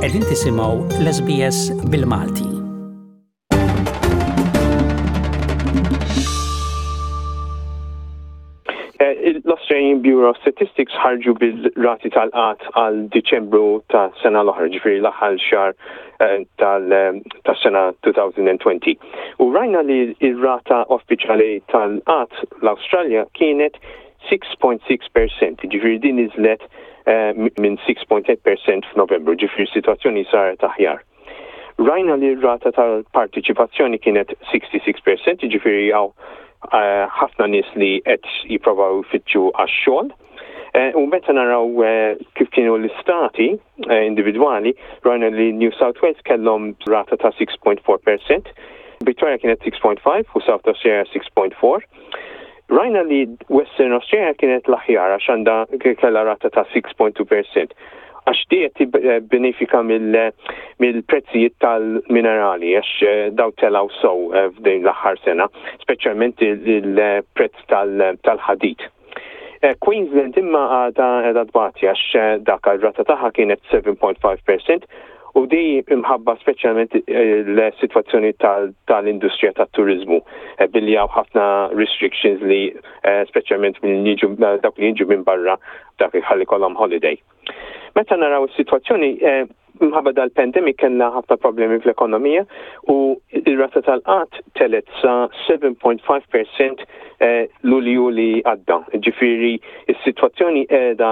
Qegħdin tisimgħu l-SBS bil-Malti. Eh, L-Australian Bureau of Statistics ħarġu bil-rati tal-qat għal Diċembru ta' sena l-oħra, ġifieri l-aħħar xahar eh, tas-sena 2020. U rajna li r-rata uffiċjali tal-qat l-Awstralja kienet 6.6%, ġifieri din niżlet eh, minn 6.8% f'Novembru, ġifieri situazzjoni saret aħjar. Rajna li r-rata tal-partiċipazzjoni kienet 66%, jiġifieri hawn eh, ħafna nies li qed jipprovaw jfittxu għax-xogħol. Eh, u meta naraw eh, kif kienu l-istati individwali, rajna li New South Wales kellhom rata ta' 6.4%, Victoria kienet 6.5 u South Australia 6.4. Rajna li Western Australia kienet l-aħjar għax għandha kellha rata ta' 6.2%. Għax di qed tibbenefika mill-prezzijiet tal-minerali għax eh, daw telgħu sew eh, f'din l-aħħar sena, speċjalment il-prezz tal-ħadid. Eh, Queensland imma għadha qiegħda tbati għax dak ir-rata tagħha kienet 7.5% u di imħabba speċjalment eh, l-sitwazzjoni tal-industrija tat-turiżmu eh, billi hawn ħafna restrictions li eh, speċjalment minn jiġu dawk li jiġu minn barra dak ħalli kollhom holiday. Meta naraw is-sitwazzjoni minħabba dal-pandemic kellna ħafna problemi fl-ekonomija u ir-rata tal-qat telet sa 7.5% lulju li għadda. Ġifieri is-sitwazzjoni qiegħda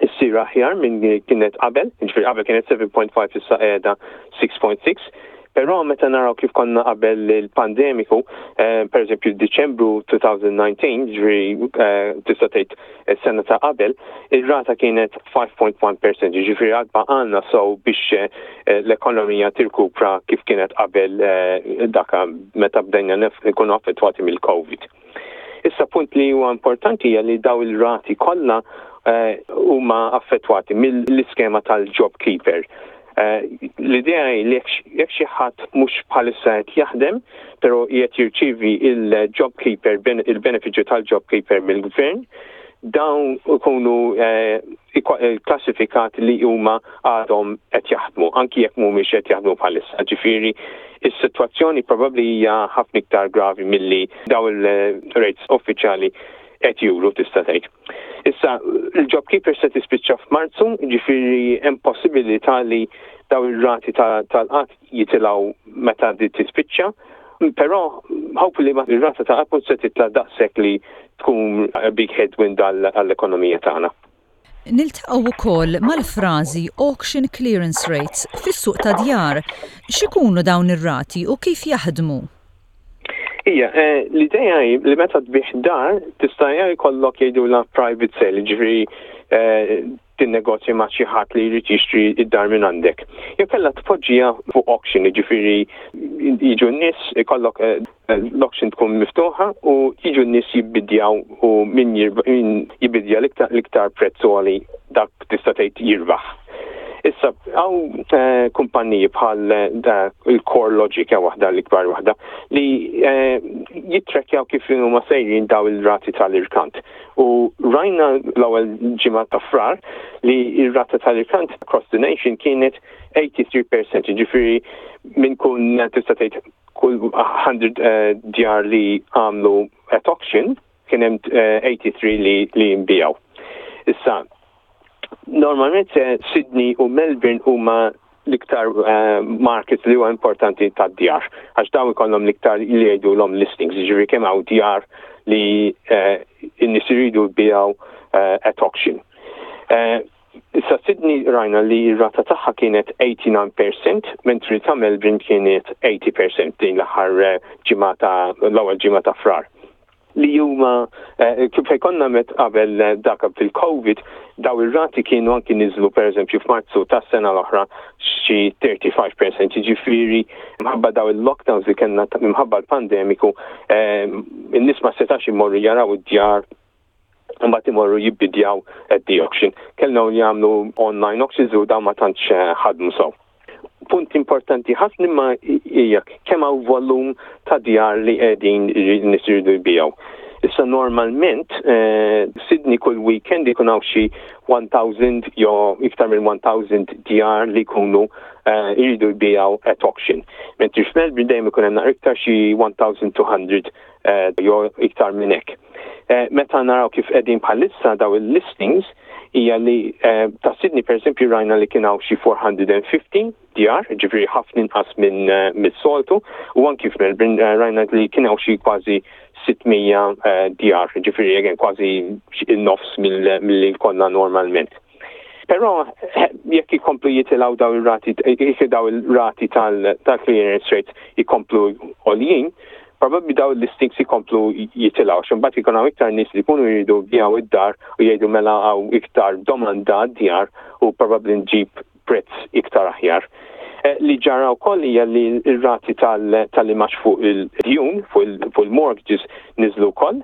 issir aħjar minn kienet qabel, ġifieri qabel kienet 7.5 issa qiegħda 6.6. Però meta naraw kif konna qabel il-pandemiku, eh, per eżempju Diċembru 2019, ġifieri eh, tista' tgħid is-sena ta' qabel, ir-rata kienet 5.1%, ġifieri għad baqgħalna sew biex eh, l-ekonomija tirkupra kif kienet qabel daka meta bdejna nkunu affettwati mill-COVID. Issa punt li huwa importanti hija li daw il-rati kollha eh, huma affettwati mill-iskema tal-job keeper. Eh, l-idea hi li jekk xi ħadd mhux bħalissa qed jaħdem, però qiegħed jirċievi il-job keeper il-benefiċċju tal-job keeper mill-gvern, dawn ikunu eh, klassifikat li huma għadhom qed jaħdmu, anki jekk mhumiex qed jaħdmu bħalissa. Ġifieri, is-sitwazzjoni probabbli hija ħafna iktar gravi milli daw il-rates uffiċjali qed juru tista' tgħid. Issa, il-JobKeeper se tispiċċa f'Marzu, ġifieri hemm possibilità li daw ir-rati tal-qatt jitilgħu meta di tispiċċa, però hopefully ir-rata ta' qatt mhux se titla' daqshekk li tkun big headwind għall-ekonomija tagħna. Niltaqgħu wkoll mal-frażi auction clearance rates fis-suq tad-djar. X'ikunu dawn ir-rati u kif jaħdmu? Ija, eh, l-idea hi li meta tbih dar tista' jkollok jgħidulha private sale, ġifieri eh, tinnegozja ma' xi ħadd li jrid jixtri id-dar minn għandek. Jew kellha tpoġġiha fuq auction, jiġifieri jiġu n-nies ikollok eh, l-auction tkun miftuħa u jiġu n-nies jibbidjaw u min jibbidja l-iktar prezz għoli dak tista' tgħid jirbaħ. Issa, hawn eh, kumpanniji bħal eh, il-Core Logic waħda l-ikbar waħda li jittrekjaw kif huma sejrin daw il-rati tal-irkant. U rajna l-ewwel ġimgħa ta' Frar li r-rata tal-irkant across the nation kienet 83%, ġifieri minn kun tista' tgħid kull 100 eh, djar li għamlu at auction kien hemm 83 eh, li li nbijaw. Issa, normalment eh, Sydney u Melbourne huma l-iktar eh, markets li huwa importanti tad-djar, għax dawn ikollhom l-iktar li jgħidulhom listings, jiġifieri kemm hawn djar li eh, n-nies iridu jbiegħu eh, at auction. Issa Sydney rajna li r-rata tagħha kienet 89%, mentri ta' Melbourne kienet 80% din l-aħħar ġimgħa ta' l-ewwel ġimgħa ta' Frar. li huma eh, kif fejn konna met qabel eh, dak fil-COVID, daw ir-rati kienu anki niżlu pereżempju f'Marzu tas-sena l-oħra xi 35%, jiġifieri minħabba daw il-lockdowns li kellna minħabba l-pandemiku, eh, in-nies ma setax imorru jaraw id-djar mbagħad imorru jibbidjaw at the auction. Kellna jagħmlu online auctions u dawn ma tantx ħadmu sew. Punt importanti ħafna imma hija kemm hawn volum ta' djar li qegħdin nies iridu jbigħu. Issa normalment Sydney kull weekend ikun hawn xi 1000 jew iktar minn 1000 djar li jkunu jridu jbiegħu at auction. Mentri f'Melbourne dejjem ikun hemm naqra iktar xi 1200 jew iktar minn hekk. Meta naraw kif qegħdin bħalissa daw il-listings hija li ta' Sydney pereżempju rajna li kien hawn xi 450 djar, ġifieri ħafna inqas minn mis-soltu, u anki f'Melbourne rajna li kien hawn xi kważi 600 djar, ġifieri again kważi in-nofs milli konna normalment. Però jekk ikomplu jitilgħu daw ir-rati, jekk daw il-rati tal-clearance rates ikomplu għoljin, probabbli daw il-listings ikomplu jitilgħu, x'imbagħad ikun hawn iktar nies li jkunu jridu jbiegħu id-dar u jgħidu mela hawn iktar domanda għad-djar u probabbli nġib prezz iktar aħjar. Li ġara wkoll hija li r-rati tal-imax fuq il-djun, fuq il-mortgages niżlu wkoll.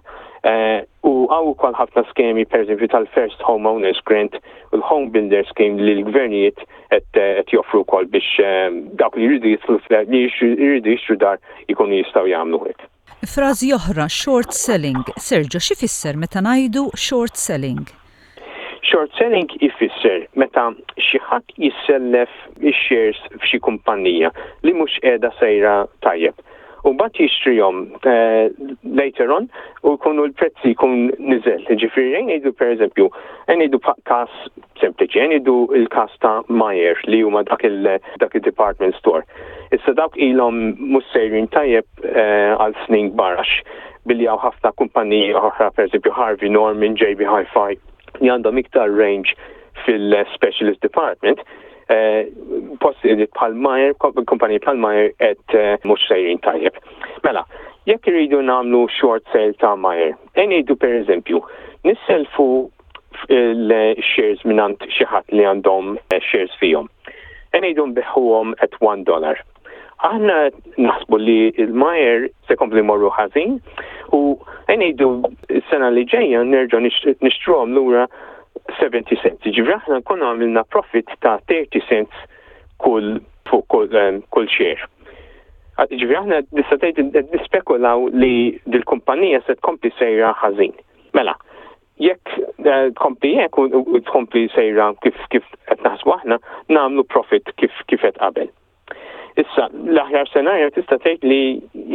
U hawn ukoll ħafna skemi pereżempju tal-First Home Owners Grant u l-Home Builder Scheme li l-gvernijiet qed joffru wkoll biex dawk li jridu jidħlu li jridu jixtru dar ikunu jistgħu jagħmlu hekk. Frażi oħra, short selling. Sergio, x'ifisser meta ngħidu short selling? Short selling ifisser meta xi ħadd jissellef ix-shares f'xi kumpanija li mhux qiegħda sejra tajjeb u mbagħad jixtrihom later on u jkunu l-prezzi jkun niżel. Ġifieri ejja ngħidu pereżempju, ejja ngħidu każ sempliċi, ejja ngħidu l-każ ta' Myer li huma dak il-department store. Issa dawk ilhom mhux sejrin tajjeb għal snin kbar għax billi hawn ħafna kumpaniji oħra, pereżempju Harvey Norman, JB Hi-Fi, li għandhom iktar range fil-specialist department, posti bħal Myer, kumpaniji bħal Myer qed mhux sejrin tajjeb. Mela, jekk irridu nagħmlu short sale ta' Myer, ejja ngħidu pereżempju, nisselfu il-shares mingħand xi ħadd li għandhom shares fihom. Ejja ngħidu nbiħħuhom at 1 dollar. Aħna naħsbu li il-Myer se kompli morru ħażin u ngħidu s-sena li ġejja nerġgħu nixtruhom lura 70 cents. Ġifieri aħna nkunu għamilna profit ta' 30 cents kull fuq kull share. Ġifieri aħna tista' tgħid nispekulaw li dil-kumpanija se tkompli sejra ħażin. Mela, jekk tkompli hekk u tkompli sejra kif kif qed naħsbu aħna, nagħmlu profit kif kif qed qabel. Issa, l-aħjar senarju tista' tgħid li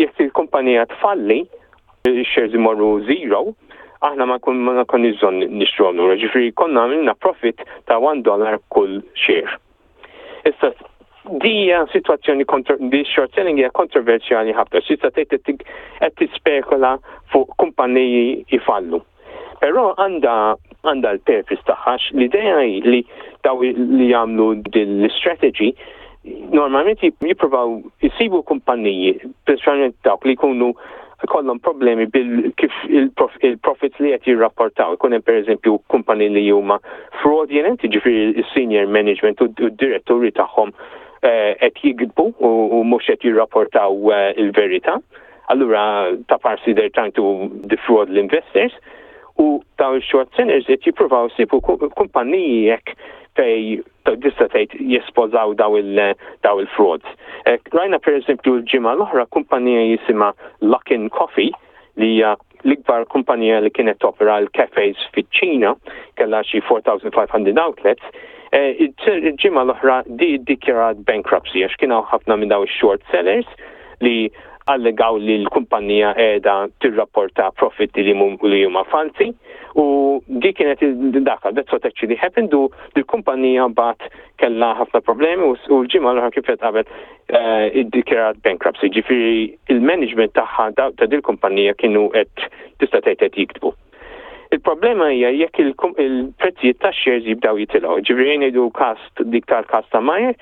jekk il-kumpanija tfalli, shares imorru zero, aħna ma kun ma nkun bżonn nixtruhom lura, ġifieri konna għamilna profit ta' 1 dollar kull share. Issa, dija situazzjoni di short selling hija kontroversjali ħafna, tista' tgħid qed tispekula fuq kumpaniji jfallu. Però għandha għandha l-purpose tagħha l-idea hi li daw li jagħmlu din l-strategy normalment jippruvaw jisibu kumpaniji, speċjalment dawk li jkunu kollhom problemi bil kif il-profits li qed jirrapportaw. Ikun hemm pereżempju kumpaniji li huma fraudulent, jiġifieri s-senior management u d-diretturi tagħhom qed jigdbu u mhux qed jirrapportaw il-verità. Allura ta' parsi they're trying to defraud l-investors u daw il-short sellers qed jippruvaw isibu kumpaniji hekk fej tista' tgħid jespożaw daw il-frauds. Rajna pereżempju l-ġimgħa l-oħra kumpanija jisimha Luckin Coffee li hija l-ikbar kumpanija li kienet topera l-cafes fiċ-Ċina, kellha xi 4,500 outlets, il-ġimgħa l-oħra di ddikjarat bankruptcy għax kien hawn ħafna minn daw ix-short sellers li allegaw li l-kumpanija qiegħda tirrapporta profitti li huma falsi u di kienet daka, that's what actually happened u l-kumpanija bat kellha ħafna problemi u l-ġimgħa l-oħra kif qed qabel iddikjarat bankruptcy, ġifieri il-management tagħha ta' dil-kumpanija kienu qed tista' tgħid qed jiktbu. Il-problema hija jekk il-prezzijiet tax-shares jibdew jitilgħu, ġifieri ngħidu każ dik tal-każ ta' Myer,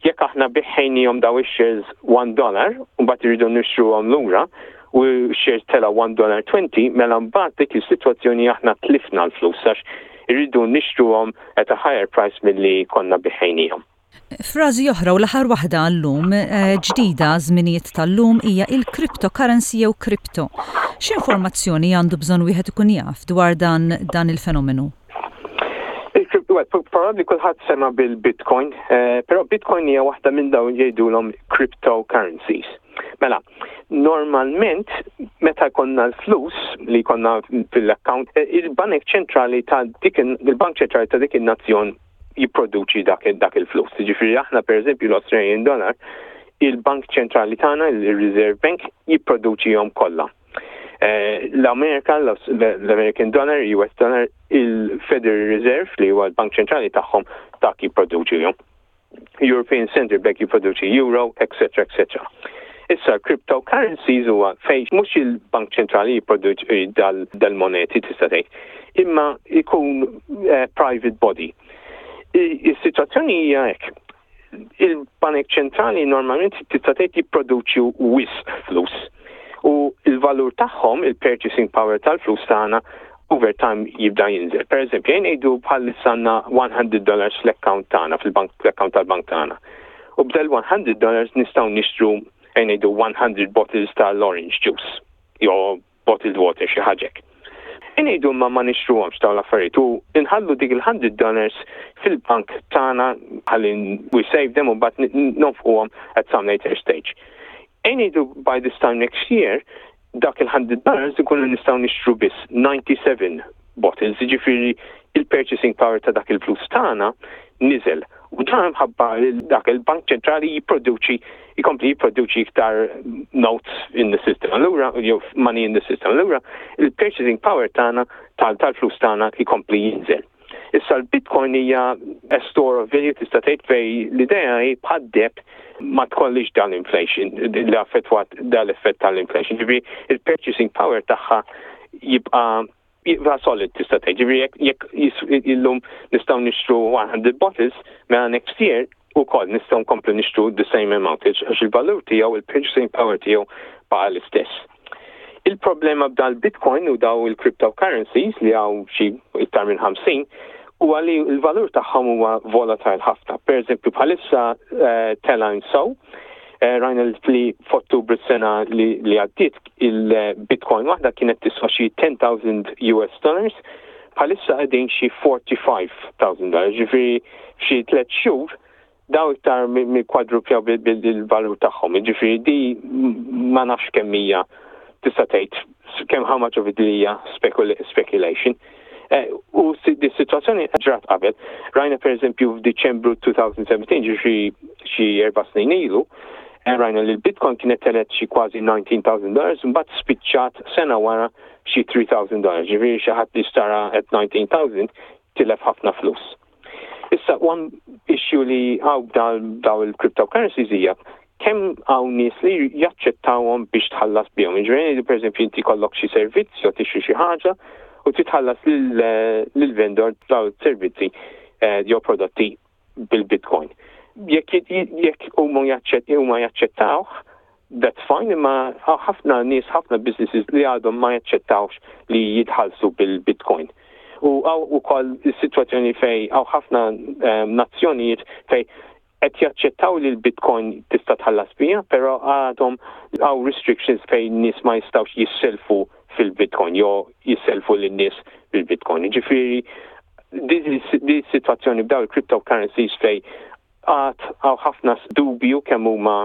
jekk aħna biħħejnihom daw ix-shares 1 dollar u mbagħad irridu nixtruhom lura u shares tela 1 dollar 20, mela mbagħad dik is-sitwazzjoni aħna tlifna l-flus għax irridu nixtruhom at a higher price milli konna biħħejnihom. Frażi oħra u l-aħħar waħda għallum ġdida żminijiet tal-lum hija il-cryptocurrency jew crypto. X'informazzjoni għandu bżonn wieħed ikun jaf dwar dan dan il-fenomenu? Probabbli kulħadd sema bil-Bitcoin, però Bitcoin hija waħda minn dawn jgħidulhom cryptocurrencies. Mela, Normalment, meta jkollna l-flus li jkollna fil-account, il-banek ċentrali ta' dik il-bank ċentrali ta' dik in-nazzjon jipproduċi dak, dak il-flus. Ġifieri aħna pereżempju l-Australian dollar, il-Bank Ċentrali tagħna, il-Reserve Bank, jipproduċihom kollha. Eh, L-Amerika, l-American Dollar, US Dollar, il-Federal Reserve li huwa l-Bank Ċentrali tagħhom dak jipproduċihom. European Central Bank jipproduċi euro, etc. etc. Issa cryptocurrencies huwa fejn mhux il-Bank Ċentrali jipproduċi dal-moneti tista' tgħid, imma jkun eh, private body. Is-sitwazzjoni hija hekk. Il-Banek Ċentrali normalment tista' tgħid jipproduċu wisq flus. U l-valur tagħhom, il-purchasing power tal-flus tagħna, over time jibda jinżel. Per eżempju, jien ngħidu bħalissa għandna 100 dollars fl-account tagħna, fil-bank fl-account tal-bank tagħna. U b'dal 100 dollars nistgħu nixtru jien ngħidu 100 bottles tal-orange juice jew bottled water xi ħaġa hekk. Ngħidu imma ma nixtruhomx dawn l-affarijiet u nħallu dik il-100 dollars fil-bank tagħna ħalli we save them u mbagħad nonfquhom at some later stage. Ngħidu by this time next year dak il-100 dollars ikunu nistgħu nixtru biss 97 bottles, jiġifieri il-purchasing power ta' dak il-flus tagħna niżel. U dan mħabba dak il-Bank Ċentrali jipproduċi jkompli jipproduċi iktar notes in the system. Allura, jew money in the system. Allura, il-purchasing power tagħna tal-flus tagħna jkompli jinżel. Issa l-Bitcoin hija a store of value tista' tgħid fej l-idea hi bħad-deheb ma tkollix dan inflation li affettwat dal-effett tal-inflation. Ġifieri il-purchasing power tagħha jibqa' jibqa' solid tista' tgħid. Ġifieri jekk illum nistgħu nixtru 100 bottles, mela next year ukoll nistgħu nkomplu nixtru the same amount għax il-valur tiegħu, il-purchasing power tiegħu baqa' l-istess. Il-problema b'dal-Bitcoin u daw il-cryptocurrencies li hawn xi iktar minn 50 huwa li l-valur tagħhom huwa volatile ħafna. Per eżempju bħalissa eh, telgħin sew, eh, rajna li f'Ottubru s-sena li għaddiet il-Bitcoin waħda kienet tiswa xi 10,000 US dollars, bħalissa qegħdin xi 45,000 dollars, ġifieri f'xi tliet xhur daw iktar mill-kwadrupjaw bil-valur tagħhom. Ġifieri di ma nafx kemm hija tista' tgħid kemm how much of it hija speculation. Eh, u di situazzjoni ġrat qabel. Rajna per eżempju f'Diċembru 2017, ġifieri xi erba' snin ilu, eh, rajna li l-Bitcoin kienet telet xi kważi 19,000 dollars, mbagħad spiċċat sena wara xi 3,000 dollars. Ġifieri xi ħadd li xtara at 19,000 tilef ħafna flus. Issa, one issue li hawn daw il-cryptocurrencies hija kemm hawn nies li jaċċettawhom biex tħallas bihom. Jiġifieri pereżempju inti jkollok xi servizz jew tixtri xi ħaġa u titħallas lill-vendor daw servizzi eh, jew prodotti bil-Bitcoin. Jekk jekk huma jaċċettawh, that's fine, imma ħafna nies, ħafna businesses li għadhom ma jaċċettawx li jitħallsu bil-Bitcoin. U hawn ukoll is-sitwazzjoni fej hawn ħafna ehm, nazzjonijiet fej qed jaċċettaw li l-Bitcoin tista' tħallas biha, però għadhom hawn restrictions fejn nies ma jistgħux jisselfu fil-Bitcoin jew jisselfu lin-nies bil-Bitcoin. Ġifieri di situazzjoni b'daw il-cryptocurrencies fej għad hawn ħafna dubju kemm huma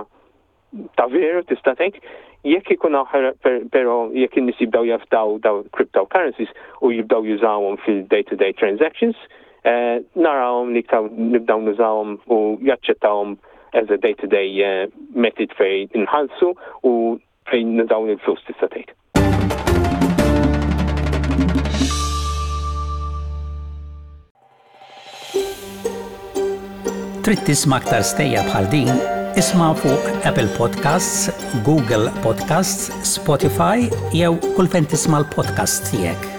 ta' veru tista' tgħid, jekk ikun hawn però jekk in-nies jibdew jafdaw daw cryptocurrencies u jibdew jużawhom fil-day-to-day transactions, eh, narawhom li iktar nibdew nużawhom u jaċċettawhom as a day-to-day eh, method fejn inħallsu u fejn nużaw il-flus tista' tgħid. Trid tisma' aktar stejjer bħal din? Isma' fuq Apple Podcasts, Google Podcasts, Spotify jew kull fejn tisma' l-podcasts tiegħek.